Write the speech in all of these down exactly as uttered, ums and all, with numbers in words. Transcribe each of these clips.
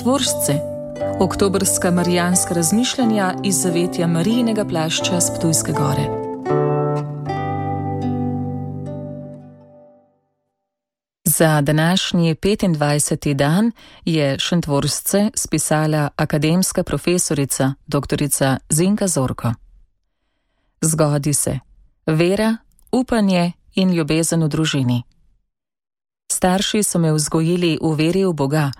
Šentvoržce, oktobrska marijanska razmišljanja iz zavetja Marijinega plašča s Ptujske gore. Za današnji petindvajseti dan je Šentvoržce spisala akademska profesorica doktorica Zinka Zorko. Zgodi se vera, upanje in ljubezen v družini. Starši so me vzgojili v veri v Boga,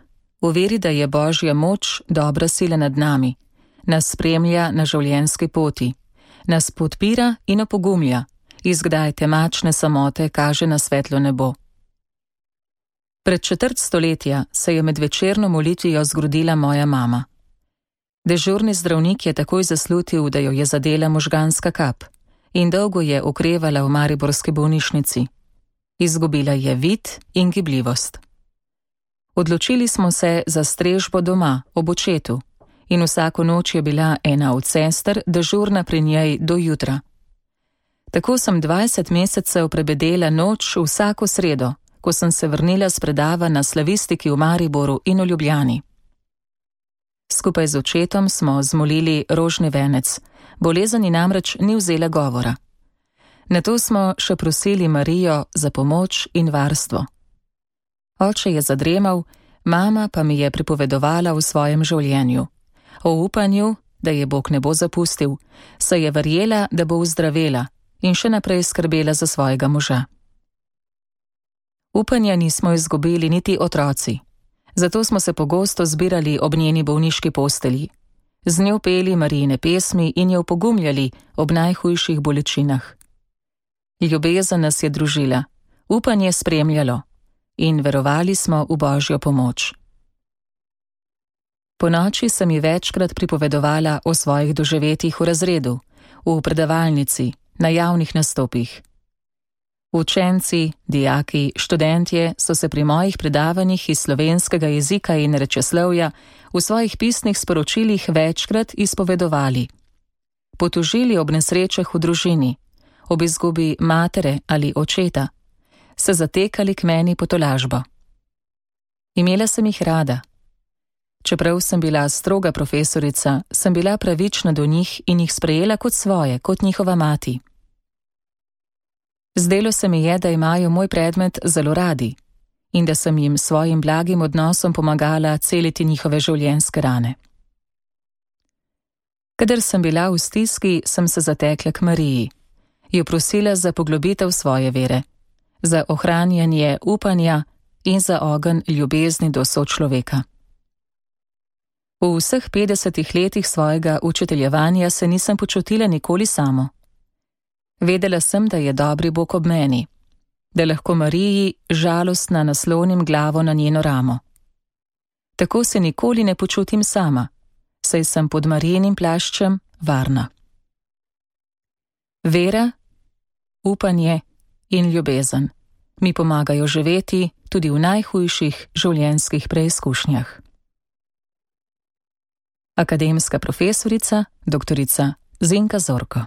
v veri, da je Božja moč dobra sila nad nami, nas spremlja na življenjski poti, nas podpira in opogumlja, iz kdaj temačne samote kaže na svetlo nebo. Pred četrt stoletja se je med večerno molitvijo zgrudila moja mama. Dežurni zdravnik je takoj zaslutil, da jo je zadela možganska kap in dolgo je okrevala v mariborski bolnišnici. Izgubila je vid in gibljivost. Odločili smo se za strežbo doma, ob očetu, in vsako noč je bila ena od sester dežurna pri njej do jutra. Tako sem dvajset mesecev prebedela noč vsako sredo, ko sem se vrnila s predava na slavistiki v Mariboru in v Ljubljani. Skupaj z očetom smo zmolili rožni venec, bolezen ji namreč ni vzela govora. Nato smo še prosili Marijo za pomoč in varstvo. Oče je zadremal, mama pa mi je pripovedovala v svojem življenju. O upanju, da je Bog ne bo zapustil, saj je verjela, da bo uzdravela in še naprej skrbela za svojega moža. Upanja nismo izgubili niti otroci, zato smo se pogosto zbirali ob njeni bolniški postelji. Z njo peli Marijine pesmi in jo opogumljali ob najhujših bolečinah. Ljubezen nas je družila, upanje spremljalo in verovali smo v Božjo pomoč. Po noči sem ji večkrat pripovedovala o svojih doživetjih v razredu, v predavalnici, na javnih nastopih. Učenci, dijaki, študentje so se pri mojih predavanjih iz slovenskega jezika in rečeslovja v svojih pisnih sporočilih večkrat izpovedovali. Potožili ob nesrečah v družini, ob izgubi matere ali očeta, se zatekali k meni po tolažbo. Imela sem jih rada. Čeprav sem bila stroga profesorica, sem bila pravična do njih in jih sprejela kot svoje, kot njihova mati. Zdelo se mi je, da imajo moj predmet zelo radi in da sem jim svojim blagim odnosom pomagala celiti njihove življenjske rane. Kadar sem bila v stiski, sem se zatekla k Mariji, jo prosila za poglobitev svoje vere, za ohranjanje upanja in za ogenj ljubezni do sočloveka. V vseh petdesetih letih svojega učiteljevanja se nisem počutila nikoli samo. Vedela sem, da je dobri Bog ob meni, da lahko Mariji žalostna naslonim glavo na njeno ramo. Tako se nikoli ne počutim sama, saj sem pod Marijinim plaščem varna. Vera, upanje in ljubezen mi pomagajo živeti tudi v najhujših življenjskih preizkušnjah. Akademska profesorica doktorica Zinka Zorko.